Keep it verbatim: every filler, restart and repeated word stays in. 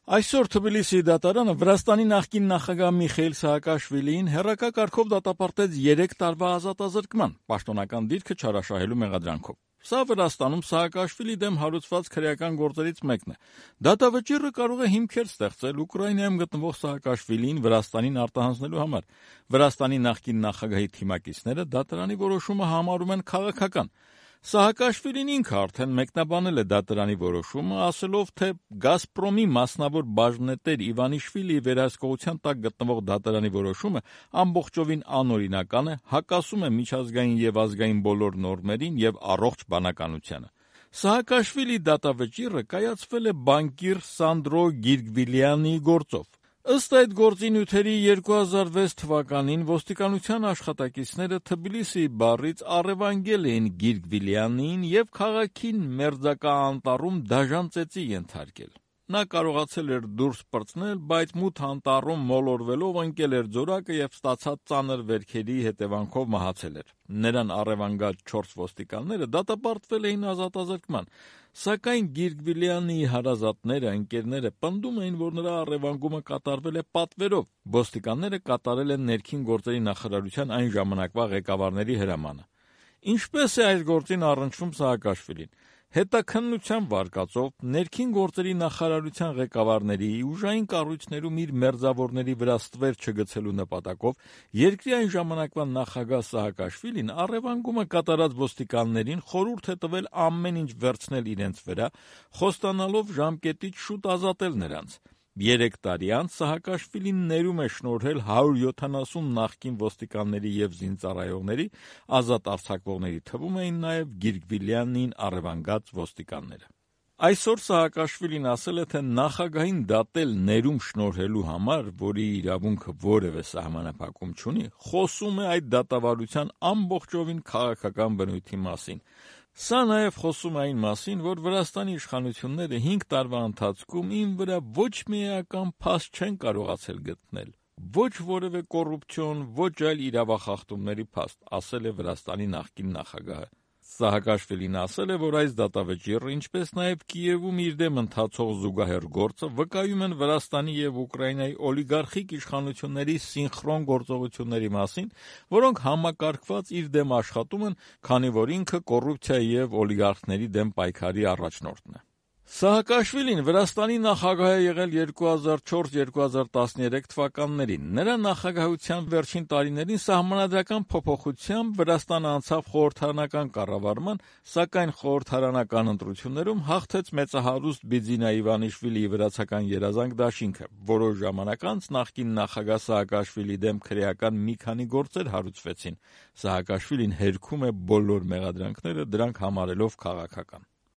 Այսօր Թբիլիսիի դատարանը Վրաստանի նախկին նախագահ Միխեիլ Սահակաշվիլիին հեռակա կարգով դատապարտեց երեք տարվա ազատազրկման, պաշտոնական դիրքը չարաշահելու մեղադրանքով։ Սա Վրաստանում Սահակաշվիլի դեմ հարուցված քրեական գործերից մեկն է։ Դատավճիռը կարող է հիմքեր ստեղծել Ուկրաինայում գտնվող Սահակաշվիլիին Վրաստանին արտահանձնելու համար։ Վրաստանի նախկին նախագահի թիմակիցները դատարանի որոշումը համարում են քաղաքական։ Սահակաշվիլին ինքը արդեն մեկնաբանել է դատարանի որոշումը, ասելով, թե «Գազպրոմի» մասնավոր բաժնետեր Իվանիշվիլիի վերահսկողության տակ գտնվող դատարանի որոշումը ամբողջովին անօրինական է, հակասում է միջազգային և ազգային բոլոր նորմերին և առողջ բանականությանը։ Սահակաշվիլիի դատավճիռը կայացվել է բանկիր Սանդրո Գիրգվիլյանիի գործով։ Ըստ այդ գործի նյութերի երկու հազար վեց թվականին ոստիկանության աշխատակիցները Թբիլիսիի բառից առևանգել էին Գիրգվիլյանիին և քաղաքին մերձակա անտառում դաժան ծեծի ենթարկել։ Նա կարողացել էր դուրս պրծնել, բայց մութ անտառում մոլորվելով ընկել էր ձորակը և ստացած ծանր վերքերի հետևանքով մահացել էր։ Նրան առևանգած չորս ոստիկանները դատապարտվել էին ազատազրկման, սակայն Գիրգվիլյանիի հարազատները, ընկերները պնդում էին, որ նրա առևանգումը կատարվել է պատվերով։ Ոստիկանները կատարել են ներքին գործերի նախարարության այն ժամանակվա ղեկավարների հրամանը։ Ինչպես է այս գործին առնչվում Սահակաշվիլին։ Հետաքննության վարկածով ներքին գործերի նախարարության ղեկավարների ուժային կառույցներում իր մերձավորների վրա ստվեր չգցելու նպատակով երկրի այն ժամանակվա նախագահ Սահակաշվիլին առևանգումը կատարած ոստիկաններին խորհուրդ է տվել ամեն ինչ վերցնել իրենց վրա, խոստանալով ժամկետից շուտ ազատել նրանց։ Երեք տարի անց Սահակաշվիլին ներում է շնորհել հարյուր յոթանասուն նախկին ոստիկանների և զինծառայողների, ազատ արձակվողների թվում էին նաև Գիրգվիլյանիին առևանգած ոստիկանները։ Այսօր Սահակաշվիլին ասել է, թե նախագահին դատել ներում շնորհելու համար, որի իրավունքը որևէ սահմանափակում չունի, խոսում է այդ դատավարության ամբողջովին քաղաքական բնույթի մասին։ Սա նաև խոսում է այն մասին, որ Վրաստանի իշխանությունները հինգ տարվա ընթացքում իմ վրա ոչ մի էական փաստ չեն կարողացել գտնել, ոչ որևէ կոռուպցիոն, ոչ այլ իրավախախտումների փաստ, ասել է Վրաստանի նախկին նախագահը։ Սահակաշվիլին ասել է, որ այս դատավճիռը, ինչպես նաև Կիևում իր դեմ ընթացող զուգահեռ գործը վկայում են Վրաստանի և Ուկրաինայի օլիգարխիկ իշխանությունների սինխրոն գործողությունների մասին, որոնք համակարգված իր դեմ աշխատում են, քանի որ ինքը կոռուպցիայի և օլիգարխների դեմ պայքարի առաջնորդն է։ Սահակաշվիլին Վրաստանի նախագահ է եղել երկու հազար չորս երկու հազար տասներեք թվականներին։ Նրա նախագահության վերջին տարիներին սահմանադրական փոփոխությամբ Վրաստանը անցավ խորհրդարանական կառավարման, սակայն խորհրդարանական ընտրություններում հաղթեց մեծահարուստ Բիձինա Իվանիշվիլիի վրացական երազանք դաշինքը։ Որոշ ժամանակ անց նախկին նախագահ Սահակաշվիլիի դեմ քրեական մի քանի գործեր հարուցվեցին։ Սահակաշվիլին հերքում է բոլոր մեղադրանքները, դրանք համարելով քաղաքական։